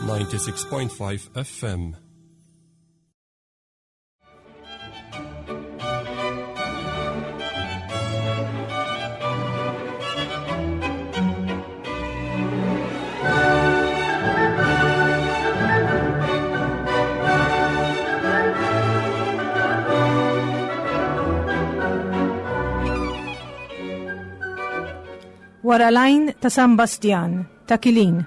96.5 FM. Wara l-għajn ta' San Bastjan, ta' Kilin.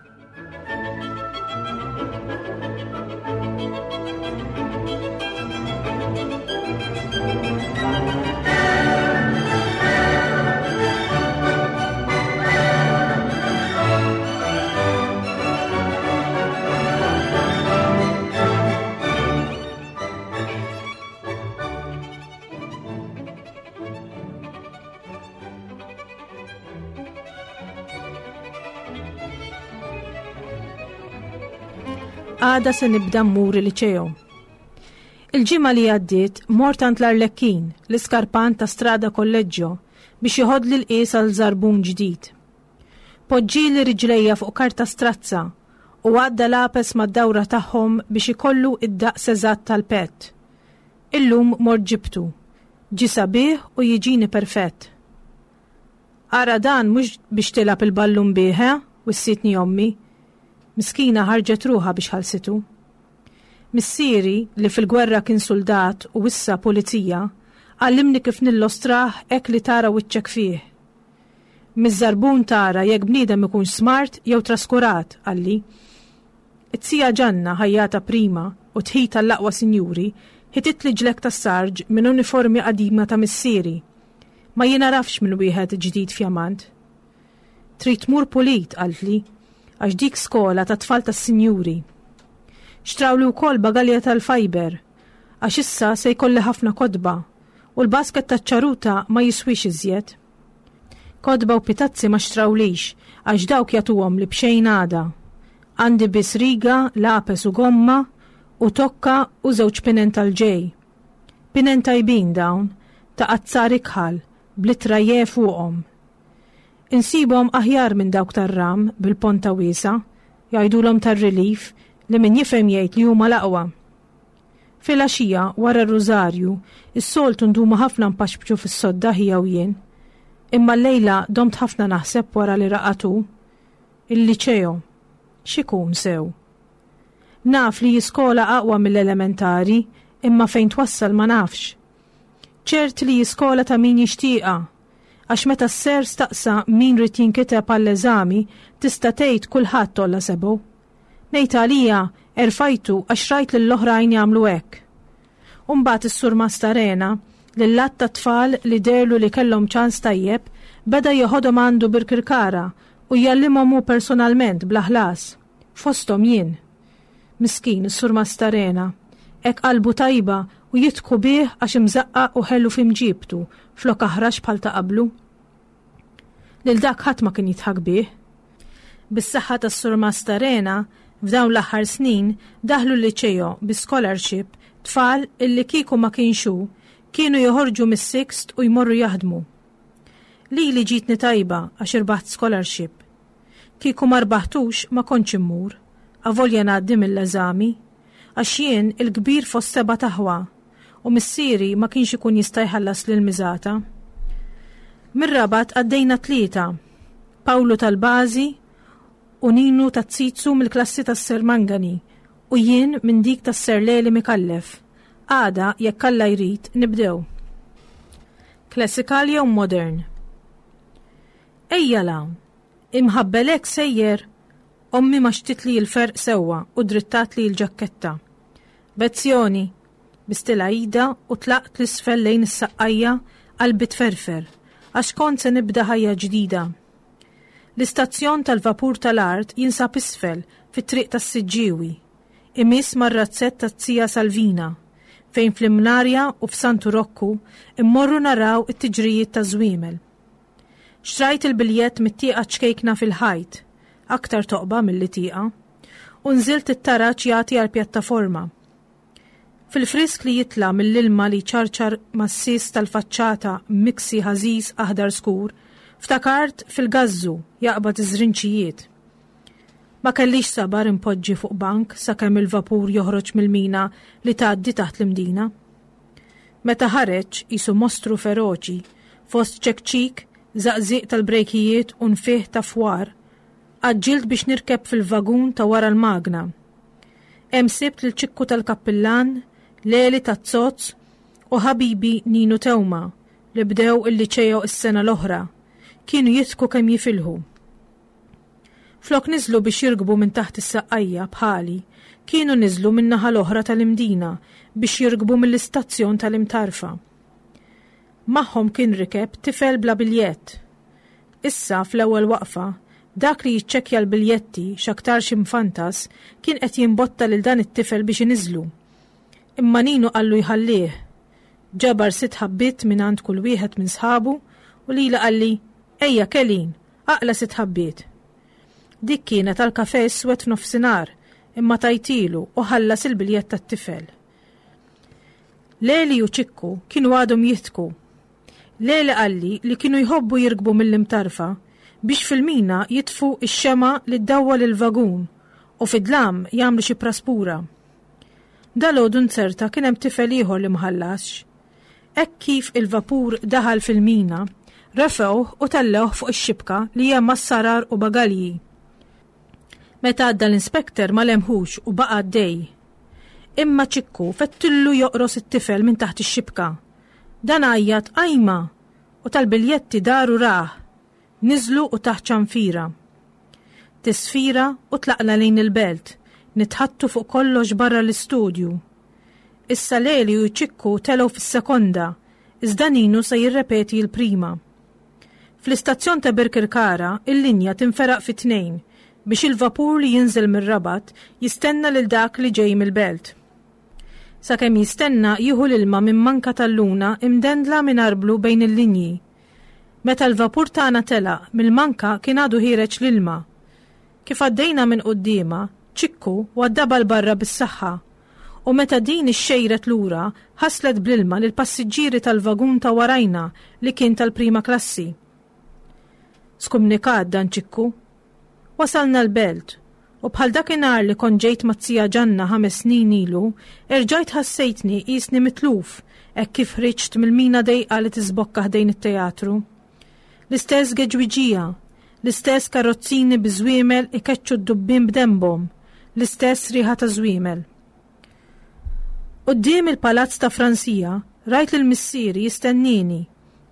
Għada se nibda mmur il-ċejo. Il-ġimgħa li għaddiet mort għand l-Arlekkin, l-iskarpan ta' Strada Kolleġġo, biex joħodli l-qies għal żarbun ġdid. Poġġieli riġlejja fuq karta strazza u għadda lapes mad-dawra tagħhom biex ikollu id-daqs eżatt tal-pett. Illum mort ġibtu. Ġie sabiħ u jiġini perfett. Ara dan mhux biex tilgħab il-ballun bih, eh? wissietni ommi. Miskina ħarġet ruħha biex ħallsitu. Missieri, li fil-gwerra kien suldat u issa pulizija, għallimni kif nillostrah hekk li tara wiċċek fih. Miż-żarbun tara jekk bniedem ikunx smart jew traskurat, qalli. It-tija Ġanna, ħajjata prima u tħit għall-aqwa sinjuri, ħititli ġlekk tas-sarġ minn uniformi qadima ta' missieri. Ma jingħarafx minn wieħed ġdid fjamant. Trid tmur pulit, qaltli, għax dik skola tat-tfal tas-sinjuri. Xtrawli wkoll bagalja tal-fajber, għax issa se jkolli ħafna kotba u l-basket taċ-ċaruta ma jiswix iżjed. Kotba u pitazzi ma xtrawlix għax dawk jagħtuhomli b'xejn għada. Għandi biss riga, lapes u gomma u tokka u żewġ pinen tal-ġej. Pinen tajbin dawn, ta' azzar ikħal, bl-ittra J fuqhom. Insibhom aħjar minn dawk tar-ram bil-ponta wiesgħa, jgħidulhom tar-relief li min jifhem jgħid li huma l-aqwa. Filgħaxija, wara r-Rużarju, is-soltu ndumu ħafna npaxpxu fis-sodda ħija u jien. Imma llejla domt ħafna naħseb wara li raqad hu. Il-liċeo. X'ikun sew? Naf li hi skola aqwa mill-elementari, imma fejn twassal ma nafx. Ċert li hi skola ta' min jixtieqha, għax meta s-ser staqsa min ried jinkiteb għall-eżami, tista' tgħid kulħadd għolla sebgħu. Ngħid għalija, erfajtu għax rajt lill-oħrajn jagħmlu hekk. U mbagħad is-Surmast Arena, lil għadd ta' tfal li dehrlu li kellhom ċans tajjeb, beda jeħodhom għandu Birkirkara u jgħallimhom hu personalment bla ħlas. Fosthom jien. Miskin is-Surmast Arena. Hekk qalbu tajba u jidħku bih għax imżaqqaq u ħelu fi mġiebtu flok aħrax bħal ta' qablu. Lil dak ħadd ma kien jidħak bih. Bis-saħħa tas-Surmast Arena, f'dawn l-aħħar snin daħlu l-Liċeo bi scholarship tfal illi kieku ma kienx hu, kienu joħorġu mis-sixth u jmorru jaħdmu. Lili ġietni tajba għax irbaħt scholarship. Kieku ma rbaħtux ma kontx immur, avolja ngħaddi mill-eżami, għax jien il-kbir fost sebat aħwa u missieri ma kienx ikun jista' jħallasli l-miżata. Mir-Rabat għaddejna tlieta, Pawlu tal-Bażi u Ninu taz-Zizzu mill-klassi tas-Sir Mangani u jien minn dik tas-Sir Leli Micallef. Għada, jekk Alla jrid, nibdew. Classical jew modern? Ejja 'l hawn! Imħabbel hekk sejjer? Ommi maxtitli l-ferq sewwa u drittatli l-ġakketta. Bezzjoni! Bistilha idha u tlaqt 'l isfel lejn is-Saqqajja qalbi tferfer, għax kont se nibda ħajja ġdida. L-istazzjon tal-vapur tal-art jinsab isfel, fit-triq tas-Siġġiewi. Imiss mar-razzett taz-zija Salvina, fejn fl-Imnarja u f'Santu Rokku mmorru naraw it-tiġrijiet taż-żwiemel. Xtrajt il-biljett mit-tieqa ċkejkna fil-ħajt, aktar toqba milli tieqa, u nżilt it-taraġ jagħti għall-pjattaforma. Fil-frisk li jitla' mill-ilma li jċarċar mas-sies tal-faċċata miksi ħażiż aħdar skur, ftakart fil-gażżu jaqbad iż-żrinċijiet. Ma kellix sabar inpoġġi fuq bank sakemm il-vapur joħroġ mill-mina li tgħaddi taħt l-Imdina. Meta ħareġ qisu mostru feroċi, fost ċekċik, żaqżiq tal-brejkijiet u nfih ta' fwar, għaġġilt biex nirkeb fil-vagun ta' wara l-magna. Hemm sibt lil Ċikku tal-Kappillan, Leli taz-Zozz u ħabibi Ninu Teuma li bdew il-Liċeo s-sena l-oħra. Kienu jidħku kemm jifilħu. Flok niżlu biex jirkbu minn taħt is-saqqajja bħali, kienu niżlu min-naħa l-oħra tal-Imdina biex jirkbu mill-istazzjon tal-Imtarfa. Magħhom kien rikeb tifel bla biljett. Issa, fl-ewwel waqfa, dak li jiċċekkja l-biljetti, x'aktarx imfantas, kien qed jimbotta lil dan it-tifel biex iniżżlu. Imma Ninu qallu jħallih. Ġabar sitt ħabbiet mingħand kull wieħed minn sħabu u lili qalli, Ejja, Kelin, aqla' sitt ħabbiet. Dik kienet għal kafè iswed f'nofsinhar, imma tajtilu u ħallas il-biljett tat-tifel. Leli u Ċikku kienu għadhom jidħku. Leli qalli li kienu jħobbu jirkbu mill-Imtarfa biex fil-mina jitfu x-xemgħa li ddawwal il-vagun u fid-dlam jagħmlu xi praspura. Dalgħodu nzerta kien hemm tifel ieħor li ma ħallasx. Hekk kif il-vapur daħal fil-mina, refgħuh u tellgħuh fuq ix-xibka li hemm għas-sarar u bagalji. Meta għadda l-inspector ma lemħux u baqa' għaddej. Imma Ċikku fettillu joqros it-tifel minn taħt ix-xibka. Dan għajjat ajma! U tal-biljetti dar u rah. Niżlu u tah ċanfira. Tisfira u tlaqna lejn il-belt, nitħaddtu fuq kollox barra l-istudju. Issa Leli u Ċikku telgħu fis-sekonda, iżda Ninu se jirrepeti l-prima. Fl-istazzjon ta' Birkirkara, il-linja tinferaq fi tnejn biex il-vapur li jinżel mir-Rabat jistenna lil dak li ġej mill-Belt. Sakemm jistenna jieħu l-ilma minn manka tal-luna imdendla minn arblu bejn il-linji. Meta l-vapur tagħna telaq, mill-manka kien għadu ħiereġ l-ilma. Kif għaddejna minn quddiemha, Ċikku waddabha 'l barra bis-saħħa u meta din ixxejret lura ħaslet bl-ilma lill-passiġġieri tal-vagun ta' warajna li kien tal-prima klassi. Skumnikat dan Ċikku. Wasalna l-Belt u bħal dakinhar li kont ġejt mat-zija Ġanna ħames snin ilu, erġajt ħassejtni qisni mitluf hekk kif ħriġt mill-mina dejqa li tiżbokka ħdejn it-teatru. L-istess geġwiġija, l-istess karrozzini bi żwiemel ikeċċu d-dubbien b'denbhom, l-istess riħa ta' żwiemel. Quddiem il-palazz ta' Fransija rajt lil missieri jistennieni,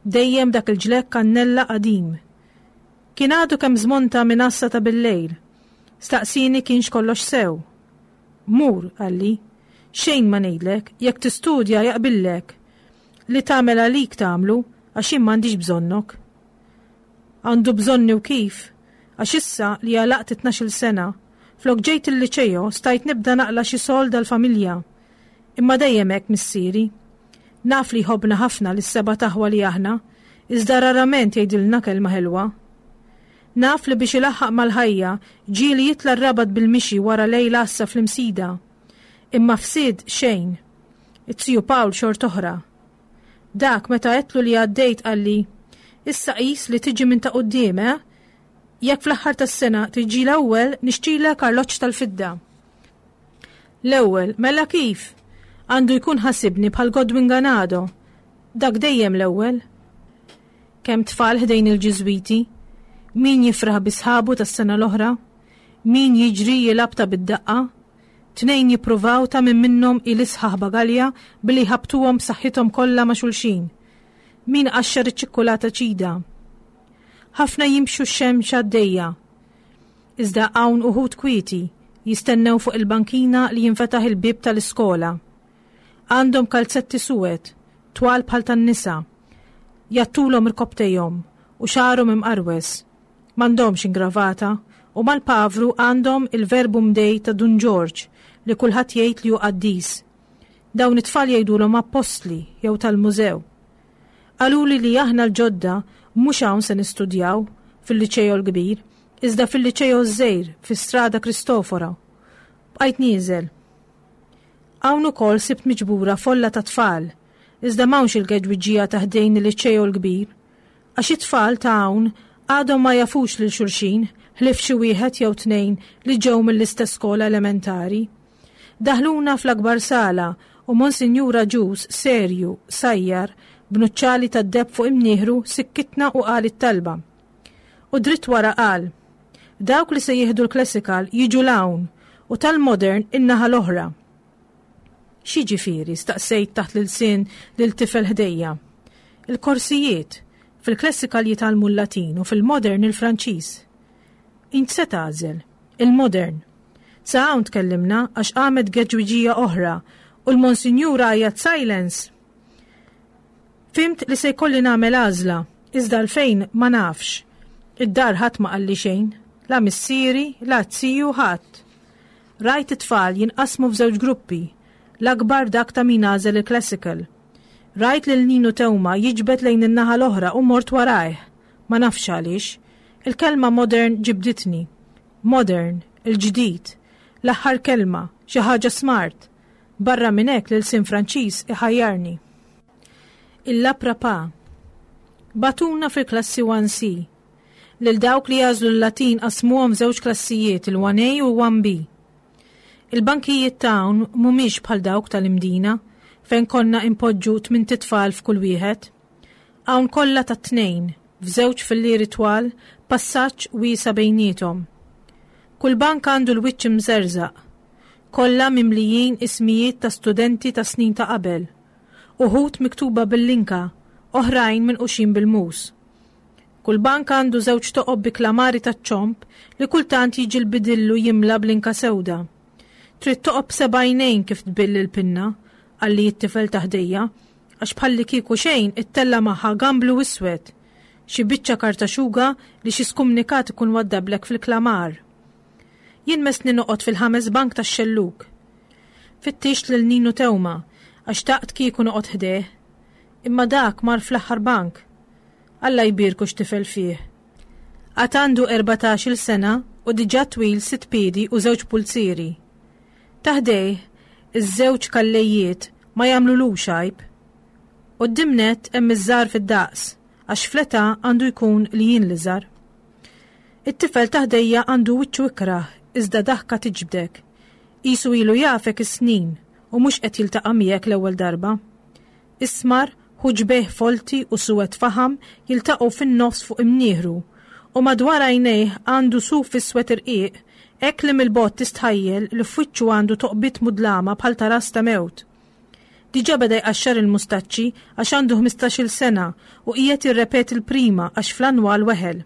dejjem dak il-ġlekk kannella qadim. Kien għadu kemm żmonta minn għassa ta' billejl. Staqsieni kienx kollox sew. Mur, qalli. Xejn ma ngħidlek, jekk tistudja jaqbillek. Li tagħmel għalik tagħmlu għax jien m'għandix bżonnok. Għandu bżonni u kif, għax issa li għalaqt it-tnax-il sena, flok ġejt il-liċeo stajt nibda naqla' xi sold għall-familja. Imma dejjem hekk missieri. Naf li jħobbna ħafna lis-sebat aħwa li aħna, iżda rarament jgħidilna kelma ħelwa. Naf li biex ilaħħaq mal-ħajja ġieli jitla' r-Rabat bil-mixi wara lejl għassa fl-Imsida. Imma fsid xejn. Iz-ziju Pawl xort'oħra. Dak meta għedtlu li għaddejt qalli, Issa qis li tiġi minn ta' quddiem, eh? Jekk fl-aħħar tas-sena tiġi l-ewwel nixtrilek arloġġ tal-fidda. L-ewwel, mela kif? Għandu jkun ħasibni bħal Godwin Ganado. Dak dejjem l-ewwel. Kemm tfal ħdejn il-Ġiżwiti? Min jifraħ bi sħabu tas-sena l-oħra? Min jiġri jilgħab ta' bid-daqqa? Tnejn jippruvaw ta' min minnhom hi l-isħaħ bagalja billi jħabbtuhom b'saħħithom kollha ma' xulxin. Min iqaxxar iċ-ċikkulata ċida. Ħafna jimxu x-xemx għaddejja. Iżda hawn uħud kwieti, jistennew fuq il-bankina li jinfetaħ il-bieb tal-iskola. Għandhom kalzetti suwed, twal bħal tan-nisa. Jgħattulhom irkopptejhom u xagħarhom imqarwes. M'għandhomx ingravata u mal-pavru għandhom il-Verbum Dei ta' Dun Ġorġ li kulħadd jgħid li hu qaddis. Dawn it-tfal jgħidulhom appostli jew tal-mużew. Qaluli li aħna l-ġodda mhux hawn se nistudjaw, fil-Liċeo l-kbir, iżda fil-Liċeo ż-żgħir fi Strada Cristoforo. Bqajt nieżel. Hawn ukoll sibt miġbura folla ta' tfal, iżda m'hawnx il-geġwiġija ta' ħdejn il-Liċeo l-kbir. Għax it-tfal ta' hawn għadhom ma jafux lil xulxin ħlief xi wieħed jew tnejn li ġew mill-istess skola elementari. Daħluna fl-akbar sala u Monsinjur Agius, serju, sajjar, b'nuċċali tad-deheb fuq imnieħru, sikkitna u qal it-talba. U dritt wara qal, Dawk li se jieħdu l-classical jiġu 'l hawn u tal-modern in-naħa l-oħra. X'jiġifieri? staqsejt taħt l-ilsien lil tifel ħdejja. Il-korsijiet. Fil-classical jitgħallmu l-Latin u fil-modern il-Franċiż. Int se tagħżel? Il-modern. Sa hawn tkellimna għax qamet geġwiġija oħra u l-Monsinjur għajjat silence! Fhimt li se jkolli nagħmel għażla, iżda għalfejn ma nafx. Id-dar ħadd ma qalli xejn, la missieri, la z-ziju, ħadd. Rajt it-tfal jinqasmu f'żewġ gruppi, l-akbar dak ta' min għażel il-classical. Rajt lil Ninu Teuma jiġbed lejn in-naħa l-oħra u mort warajh. Ma nafx għaliex. Il-kelma modern ġibditni. Modern, il-ġdid, l-aħħar kelma, xi ħaġa smart. Barra minn hekk l-ilsien Franċiż iħajjarni. Il-Laprapa. Bagħtuna fil-klassi 1C. Lil dawk li għażlu l-Latin qasmuhom f'żewġ klassijiet, il-1A u 1B. Il-bankijiet ta' hawn mhumiex bħal dawk tal-Imdina, fejn konna inpoġġu tmint itfal f'kull wieħed. Hawn kollha tat-tnejn, f'żewġ fillieri twal, passaġġ wiesa' bejniethom. Kull bank għandu l-wiċċ imżerżaq. Kollha mimlijin ismijiet ta' studenti ta' snin ta' qabel. Uħud miktuba bil-linka, oħrajn minquxin bil-mus. Kull bank għandu żewġ toqob bi klamari taċ-ċomb li kultant jiġi l-bidillu jimla b'linka sewda. Trid toqob b'seba' għajnejn kif tbill il-pinna, qalli t-tifel ta' ħdejja, għax bħallikieku xejn ittella' magħha gamblu iswed, xi biċċa karta xuga li xi skumnikat ikun waddablek fil-klamar. Jien messni noqgħod fil-ħames bank tax-xellug. Fittixt lil Ninu Teuma għax xtaqt kieku noqgħod ħdejh. Imma dak mar fl-aħħar bank. Alla jbierku x'tifel fih. Għad għandu 14-il sena u diġà twil sitt piedi u żewġ pulzieri. Ta' ħdejh, iż-żewġ kallejiet ma jagħmlulux għajb. Quddiem nett hemm iż-żgħar fid-daqs, għax fl-età għandu jkun li jien l-iżgħar. It-tifel ta' ħdejja għandu wiċċu ikrah iżda daħka tiġbdek. Qisu ilu jafek is-snin u mhux qed jiltaqa' miegħek l-ewwel darba. Ismar, ħuġbejh folti u suwed faħam jiltaqgħu fin-nofs fuq imnieħru, u madwar għajnejh għandu suf iswed irqiq hekk li mill-bogħod tistħajjel li f'wiċċu għandu toqbiet mudlama bħal ta' ras ta' mewt. Diġà beda jqaxxar il-mustaċċi għax għandu ħmistax-il sena u qiegħed jirrepeti l-prima għax fl-annwal weħel.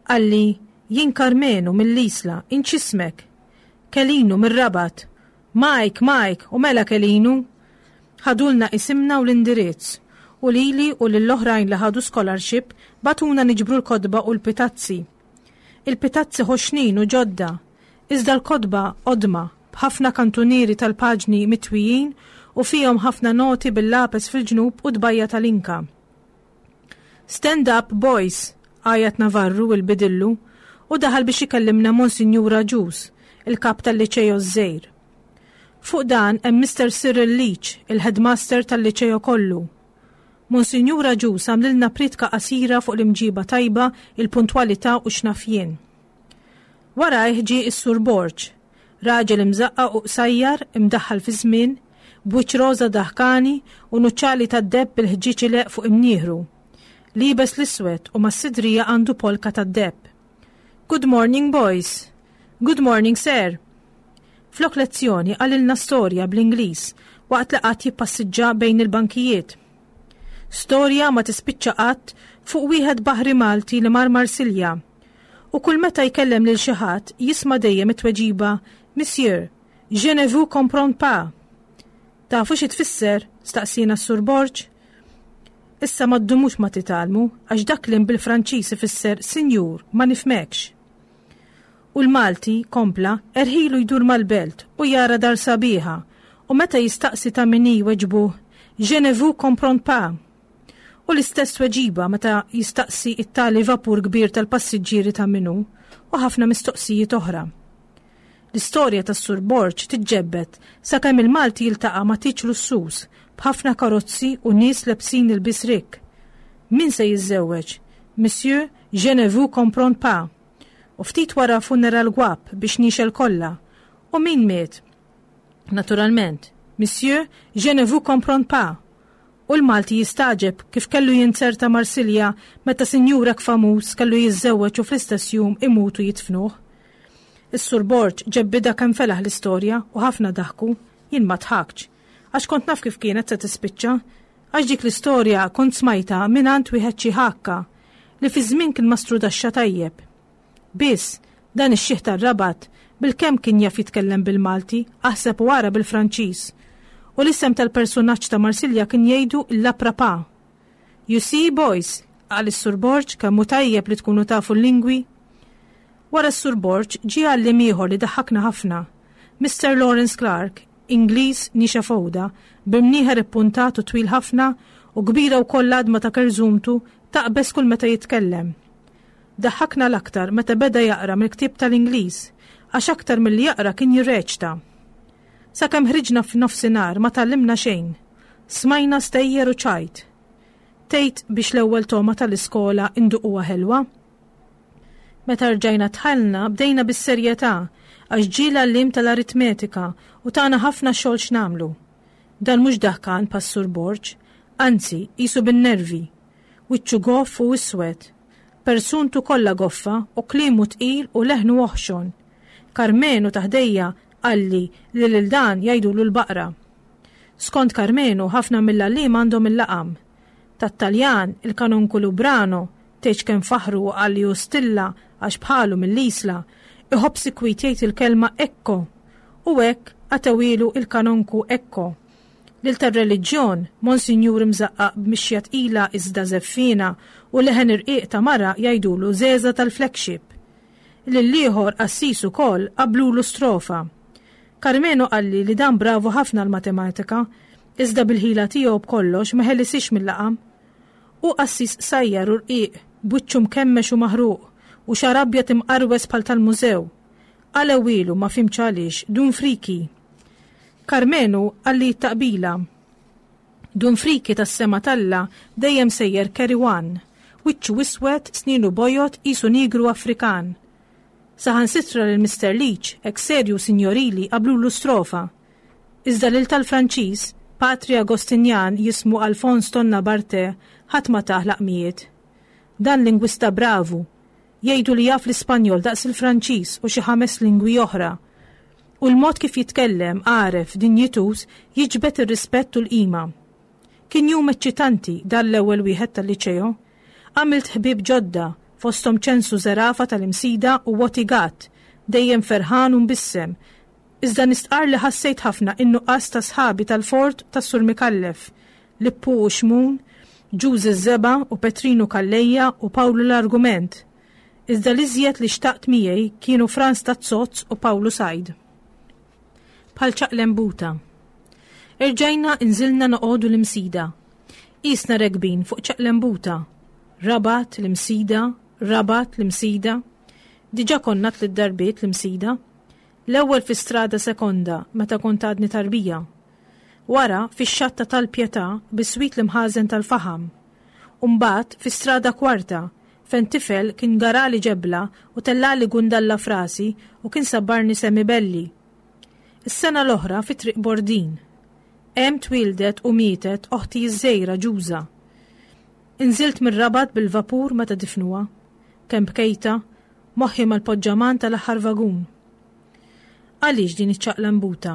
Qalli, Jien Karmenu mill-Isla, int x'ismek? Kelinu mir-Rabat. Mike, Mike, u mela Kelinu? Ħadulna isimna u l-indirizz, u lili u lill-oħrajn li ħadu scholarship bagħtuna niġbru l-kotba u l-pitazzi. Il-pitazzi ħoxnin u ġodda, iżda l-kotba qodma, b'ħafna kantunieri tal-paġni mitwijin u fihom ħafna noti bil-lapes fil-ġnub u tbajja tal-inka. Stand up, boys! għajat Navarru il-bidillu u daħal biex ikellimna Monsinjur Agius, il-kap tal-Liċeo ż-żgħir. Fuq dan hemm Mister Cyril Leach, il-headmaster tal-Liċeo kollu. Monsinjur Agius għamlilna prietka qasira fuq l-imġiba tajba, il-puntwalità u x'naf jien. Warajh ġie s-Sur Borg, raġel imżaqqaq u qsajjar, imdaħħal fiż-żmien, b'wiċċ roża daħkani u nuċċali tad-deheb bil-ħġieġ ileqq fuq imnieħru. Liebes l-iswed u mas-sidrija għandu polka tad-deheb. Good morning, boys! Good morning, sir! Flok lezzjoni qalilna storja bl-Ingliż waqt li qagħad jippassiġġa bejn il-bankijiet. Storja ma tispiċċa qatt fuq wieħed baħri Malti li mar Marsilja. U kull meta jkellem lil xi ħadd jisma' dejjem it-tweġiba Monsieur, je ne vous comprends pas. Tafu xi tfisser? staqsiena s-Sur Borg. Issa ma ddumux ma titgħallmu għax dak kliem bil-Franċiż ifisser Sinjur, ma nifhmekx. U l-Malti, kompla, erħilu jdur mal-belt u jara dar sabiħa u meta jistaqsi ta' min hi jweġbuh, Je ne vous comprends pas. U l-istess tweġiba meta jistaqsi it-tali vapur kbir tal-passiġġieri ta' min hu u ħafna mistoqsijiet oħra. L-istorja tas-Sur Borg tiġġebbed sakemm il-Malti jiltaqa' ma' tieġ lussuż b'ħafna karozzi u nies lebsin ilbies rikk. Min se jiżżewweġ? Monsieur, je ne vous comprends pas. U ftit wara funeral gwapp biex nixel kollha. U min miet? Naturalment, Monsieur, je ne vous comprends pas. U l-Malti jistagħġeb kif kellu jinzerta Marsilja meta sinjur hekk famuż kellu jiżżewweġ u fl-istess jum imut u jidfnuh. Is-Sur Borg ġebbidha kemm felaħ l-istorja u ħafna daħku, jien ma dħaktx. Għax kont naf kif kienet se tispiċċa. Għax dik l-istorja kont smajtha mingħand wieħed xi ħakka li fi żmien kien mastrudaxxa tajjeb. Biss, dan ix-xiħ tar-Rabat bilkemm kien jaf jitkellem bil-Malti, aħseb u ara bil-Franċiż. U l-isem tal-persunaġġ ta' Marsilja kien jgħidu l-Laprapa. You see, boys, qal is-Sur Borg, kemm hu tajjeb li tkunu tafu l-lingwi. Wara s-Sur Borg ġie għalliem ieħor li daħħakna ħafna. Mister Lawrence Clark, Ingliż nixa fowda, b'imnieħer ippuntat u twil ħafna u kbira wkoll l-għadma ta' kerżumtu taqbeż kull meta jitkellem. Daħħakna l-aktar meta beda jaqra mill-ktieb tal-Ingliż, għax aktar milli jaqra kien jirreċta. Sakemm ħriġna f'nofsinhar ma tgħallimna xejn. Smajna stejjer u ċajt. Tgħid biex l-ewwel togħma tal-iskola nduquha ħelwa? Meta rġajna dħalna bdejna bis-serjetà għax ġie l-għalliem tal-aritmetika u tana ħafna xogħol x'nagħmlu. Dan mhux daħkan bħas-Sur Borg, anzi qisu bin-nervi. Wiċċu goff u iswed. Persuntu kollha goffa u kliemu tqil u leħnu oħxon. Karmenu ta' ħdejja qalli li lil dan jgħidulu l-baqra. Skont Karmenu ħafna mill-għalliema għandhom il-laqam. Tat-Taljan, il-kanonku Lubrano, tgħidx kemm faħħru u qal li hu stilla għax bħalu mill-Isla, iħobb sikwit jgħid il-kelma ecco. U hekk għatewhielu il-kanonku Ecco. Lil tar-reliġjon, Monsinjur imżaqqaq b'mixja tqila iżda żeffiena u leħen irqiq ta' mara jgħidulu Żeża tal-Flagship. Lill-ieħor, qassis ukoll, qabblulu strofa. Karmenu qalli li dan bravu ħafna l-matematika, iżda bil-ħila tiegħu b'kollox ma ħelisiex mil-laqam. Hu qassis qsajjar u rqiq, b'wiċċu mkemmex u maħruq, u xagħar abjad imqarwes bħal tal-mużew. Qalewhielu, ma fhimtx għaliex, Dun Friki. Karmenu qalli t-taqbila. Dun Friki tas-sema t'Alla dejjem sejjer carry one. Wiċċu iswed, snienu bojod qisu nigru Afrikan. Saħansitra lil Mister Leach, hekk serju u sinjorili, qablulu strofa. Iżda lil tal-Franċiż, patri Agostinjan jismu Alphonse Tonna Barthe, ħadd ma tah laqmijiet. Dan lingwista bravu, Jgħidu li jaf l-Ispanjol daqs il-Franċiż u xi ħames lingwi oħra. U l-mod kif jitkellem, għaref, dinjituż, jiġbed ir-rispett u l-qima. Kien jum eċċitanti dan l-ewwel wieħed tal-Liċeo. Għamilt ħbieb ġodda, fosthom Ċensu Zerafa tal-Imsida u Watty Gatt, dejjem ferħan u mbissem, Iżda nistqarr li ħassejt ħafna in-nuqqas ta' sħabi tal-Fort tas-Sur Micallef, Lippu u Xmun, Ġużi ż-Żebgħa u Petrinu Calleja u Pawlu l-Argument. Iżda l-iżjed li xtaqt miegħi kienu Frans taz-Zozz u Pawlu Said. Bħal ċaqlembuta. Erġajna inżilna noqogħdu l-Imsida. Qisna rekbin fuq ċaqlembuta. Rabat, l-Imsida, Rabat, l-Imsida. Diġà konna tliet darbiet l-Imsida. L-ewwel fi Strada Sekonda meta kont għadni tarbija. Wara, fix-xatt ta' Tal-Pietà biswit l-imħażen tal-faħam. U mbagħad fi Strada Kwarta, fejn tifel kien garali ġebla u tellagħli gundalla f'rasi u kien sabbarni semibelli. Is-sena l-oħra fi Triq Bordin. Hemm twieldet u mietet oħti ż-żgħira Ġuża. Inżilt mir-Rabat bil-vapur meta difnuha. Kemm bkejtha, Moħħi mal-poġġaman tal-aħħar vagun. Għaliex din iċ-ċaqlambuta?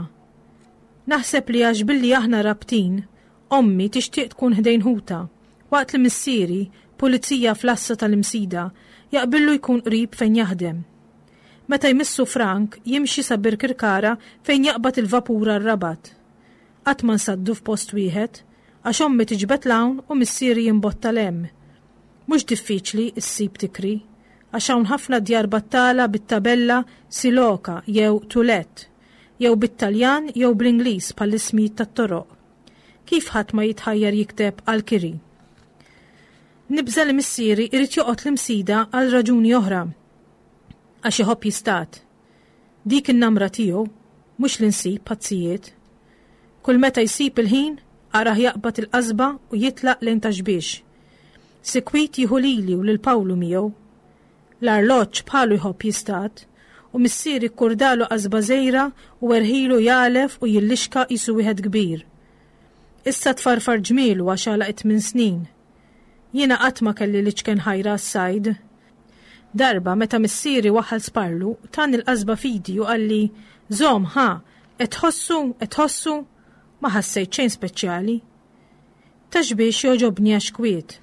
Naħseb li għax billi aħna Rabtin, ommi tixtieq tkun ħdejn ħutha, waqt li missieri, pulizija fl-għassa tal-Imsida, jaqbillu jkun qrib fejn jaħdem. Meta jmissu Frank, jimxi sa Birkirkara fejn jaqbad il-vapur għar-Rabat. Qatt ma nsaddu f'post wieħed, għax ommi tiġbed 'l hawn u missieri jimbotta 'l hemm. Mhux diffiċli ssib tikri, għax hawn ħafna djar battala bit-tabella Siloka jew To Let, jew bit-Taljan jew bl-Ingliż bħall-ismijiet tat-toroq. Kif ħadd ma jitħajjar jikteb għall-kiri? Nibża' li missieri jrid joqgħod l-Imsida għal raġuni oħra. Għax iħobb jistad. Dik in-namra tiegħu, mhux li nsib pazzijiet. Kull meta jsib il-ħin, arah jaqbad il-qasba u jitlaq lejn Ta' Xbiex. Sikwit jieħu lili u lil Pawlu miegħu. L-arloġġ bħalu jħobb jistad, u missieri kkurdalu qasba żgħira u erħilu jagħlef u jillixka qisu wieħed kbir. Issa tfarfar ġmielu għax għalaq it-tminn snin. Jiena qatt ma kelli l-iċken ħajra għas-sajd. Darba, meta missieri waħħal sparlu, tani l-qasba f'idi u qalli, Żomm, ħa, qed tħossu, qed tħossu? Ma ħassejt xejn speċjali. Ta' xbiex jogħġobni għax kwiet.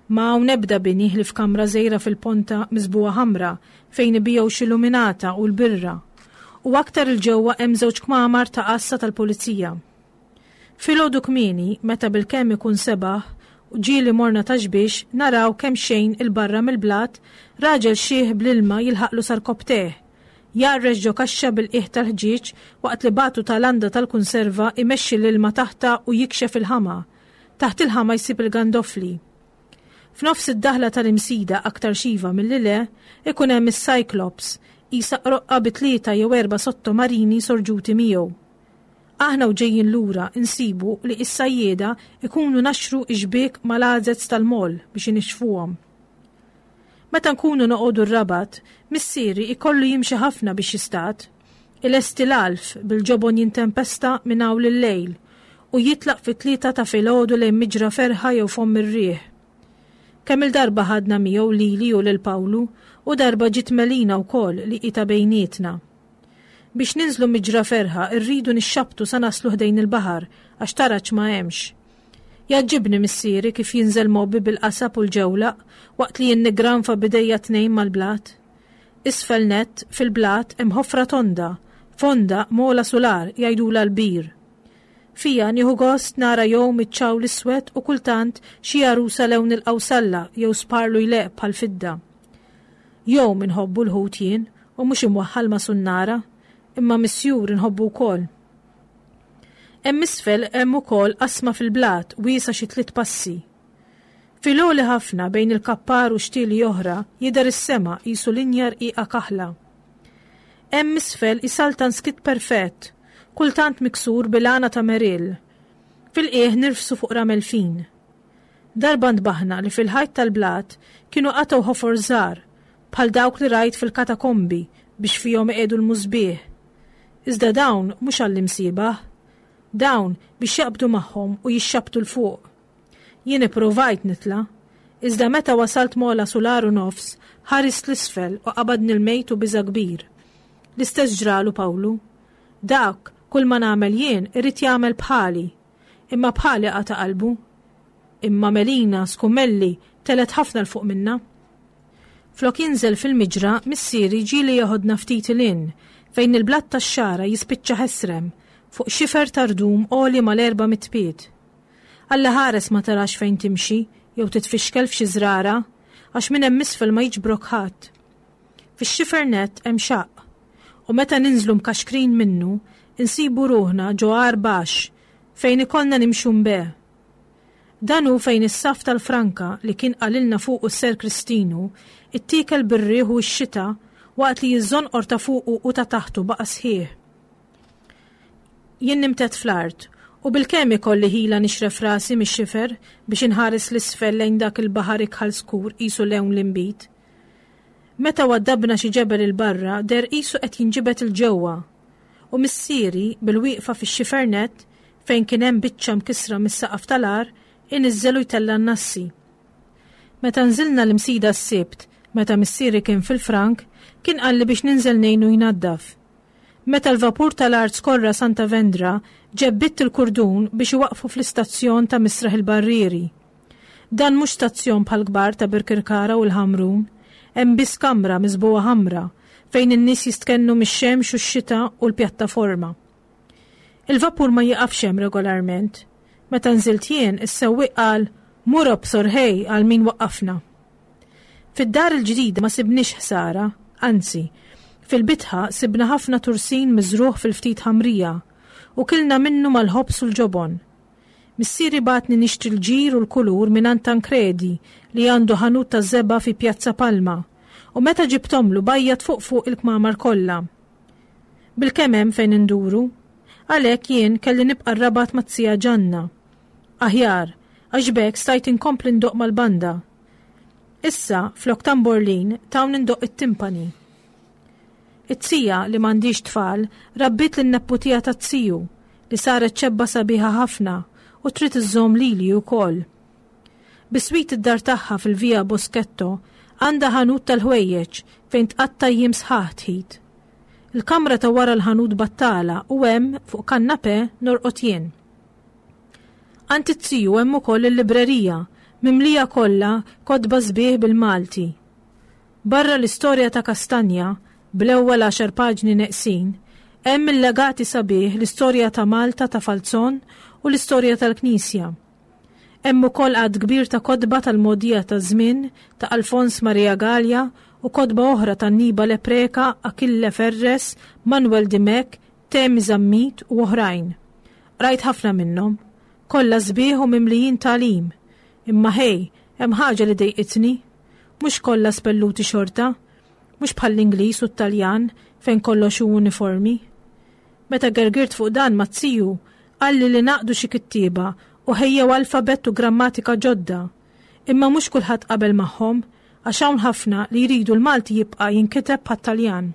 Ma hawn ebda bini ħlief kamra żgħira fil-ponta miżbugħa ħamra fejn ibigħu xi luminata u l-birra. U aktar 'il ġewwa hemm żewġ kmamar ta' għassa tal-pulizija. Filgħodu kmieni, meta bilkemm ikun sebaħ u ġieli morna Ta' Xbiex, naraw kemxejn 'il barra mill-blat raġel xiħ bl-ilma jilħaqlu sa rkopptejh, jgħarrex ġo kaxxa bil-qiegħ tal-ħġieġ waqt li bagħtu ta' landa tal-kunserva jmexxi l-ilma taħtha u jikxef il-ħama. Taħt il-ħama jsib il-gandofli. F'nofs id-daħla tal-Imsida aktar xiva milli le, ikun hemm is-Cyclops, qisha qroqqa bi tlieta jew erba' sottomarini sorġuti miegħu. Aħna u ġejjin lura nsibu li s-sajjieda jkunu naxxru x-xbiek mal-għazez tal-moll biex inixxfuhom. Meta nkunu noqogħdu r-Rabat, missieri jkollu jimxi ħafna biex jistad. Ilesti l-għalf bil-ġobon jintempesta minn hawn lil-lejl u jitlaq fit-tlieta ta' filgħodu lejn Miġra Ferħa jew Fomm ir-Riħ. Kemm-il darba ħadna miegħu lili u lil Pawlu u darba ġiet Melina wkoll li hi ta' bejnietna. Biex ninżlu miġra ferħa rridu nixxabbtu sa naslu ħdejn il-baħar għax taraġ ma hemmx. Jgħaġġibni missieri kif jinżel mgħobbi bil-qasab u l-ġewlaq waqt li jien niggranfa b'idejja t-tnejn mal-blat. Isfel nett, fil-blat, hemm ħofra tonda, fonda, m'ogħla sular, jgħidulha l-bir. Fiha nieħu gost nara jgħum iċ-ċawl iswed u kultant xi għarusa lewn il-qawsalla jew sparlu jleqq bħall-fidda. Jgħum inħobbu l-ħut jien u mhux imwaħħal ma' sunnara, imma misjur inħobbu wkoll. Hemm isfel hemm ukoll qasma fil-blat wiesgħa xi tliet passi. Fil-għoli ħafna bejn il-kappar u xtieli oħra jidher is-sema qisu linja rqiqa kaħla. Hemm isfel isaltan skiet perfett, kultant miksur bil-għana ta' merill. Fil-qiegħ nirfsu fuq ramel fin. Darba ntbaħna li fil-ħajt tal-blat kienu qatgħu ħofor żgħar, bħal dawk li rajt fil-katakombi biex fihom iqiegħdu l-musbieħ. Iżda dawn mhux għall-imsiebaħ. Dawn biex jaqbdu magħhom u jixxabbtu 'l fuq. Jien ippruvajt nitla', iżda meta wasalt m'ogħla sular u nofs, ħarist 'l isfel u qabadni l-mejt u biża' kbir. L-istess ġralu Pawlu. Dak, kulma nagħmel jien, irid jagħmel bħali. Imma bħali qata' qalbu. Imma Melina, Skummelli, telgħet ħafna 'l fuq minna. Flok jinżel fil-miġra, missieri ġieli jeħodna ftit 'il hinn, fejn il-blat tax-xagħra jispiċċa ħesrem, fuq xifer ta' rdum għoli mal-400 pied. Alla ħares ma tarax fejn timxi jew titfixkel f'xi żrara, għax minn hemm isfel ma jiġbrok ħadd. Fix-xifer nett hemm xaqq, u meta ninżlu mkaxkrin minnu, insibu ruħna ġo għar baxx, fejn ikollna nimxu mbe. Dan hu fejn is-saff tal-franka li kien qalilna fuqu s-Ser Kristinu ittiekel bir-riħ u x-xita waqt li ż-żonqor ta' fuqu u ta' taħtu baqa' sħiħ. Jien nimtedd fl-art u bilkemm ikolli ħila nixref rasi mix-xifer biex inħares 'l isfel lejn dak il-baħar ikħal skur qisu lewn l-inbid. Meta waddabna xi ġebel 'il barra deher qisu qed jinġibed 'il ġewwa U missieri, bil-wieqfa fix-xifer nett, fejn kien hemm biċċa mkissra mis-saqaf tal-għar, iniżżel u jtella' n-nassi. Meta nżilna l-Imsida s-Sibt, meta missieri kien fil-frank, kien qalli biex ninżel ngħinu jnaddaf. Meta l-vapur tal-art skorra Santa Vendra, ġebbidt il-kurdun biex iwaqqfu fl-istazzjon ta' Misraħ il-Barrieri. Dan mhux stazzjon bħall-kbar ta' Birkirkara u l-Ħamrun. Hemm biss kamra miżbugħa ħamra, fejn in-nies jistkennu mix-xemx u x-xita u l-pjattaforma. Il-vapur ma jieqafx hemm regolarment. Meta nżilt jien, is-sewwieq qal, Mur obsor ħej għal min waqqafna. Fid-dar il-ġdida ma sibniex ħsara, anzi, fil-bitħa sibna ħafna tursin miżrugħ fil-ftit ħamrija u kilna minnu mal-ħobż u l-ġobon. Missieri bagħatni nixtri l-ġir u l-kulur mingħand Tancredi li għandu ħanut taż-żebgħa fi Piazza Palma u meta ġibthomlu bajjad fuq fuq il-kmamar kollha. Bilkemm hemm fejn induru. Għalhekk jien kelli nibqa' r-Rabat mat-zija Ġanna. Aħjar, għax b'hekk stajt inkompli ndoqq mal-banda. Issa, flok tamborlin, tawni ndoqq it-timpani. It-tija, li m'għandhiex tfal, rabbiet lin-nepputija taz-ziju, li saret ċebba sabiħa ħafna u trid iżżomm lili wkoll. Biswit id-dar tagħha fil-Via Boschetto għandha ħanut tal-ħwejjeġ fejn tqatta' jiem sħaħ tħit. Il-kamra ta' wara l-ħanut battala u hemm, fuq kannapè, norqod jien. Għand it-tiju hemm ukoll il-librerija, mimlija kollha kotba sbieħ bil-Malti. Barra l-istorja ta' Kastanja, bl-ewwel għaxar paġni neqsin, hemm il-legati sabiħ l-istorja ta' Malta ta' Falzon u l-istorja tal-Knisja. Hemm ukoll għadd kbir ta' kotba tal-mogħdija taż-żmien ta' Alfons Maria Galea u kotba oħra ta' Annibale Preca, Achille Ferres, Manuel Dimech, Temi Zammit u oħrajn. Qrajt ħafna minnhom. Kollha sbieħ u mimlijin tagħlim. Imma ħej, hemm ħaġa li dejqitni. Mhux kollha spelluti xorta. Mhux bħall-Ingliż u t-Taljan fejn kollox hu uniformi. Meta gergirt fuq dan mat-tiju, qalli li ngħaqdu xi kittieba u ħejjew alfabett u grammatika ġodda. Imma mhux kulħadd qabel magħhom, għax hawn ħafna li jridu l-Malti jibqa' jinkiteb bħat-Taljan.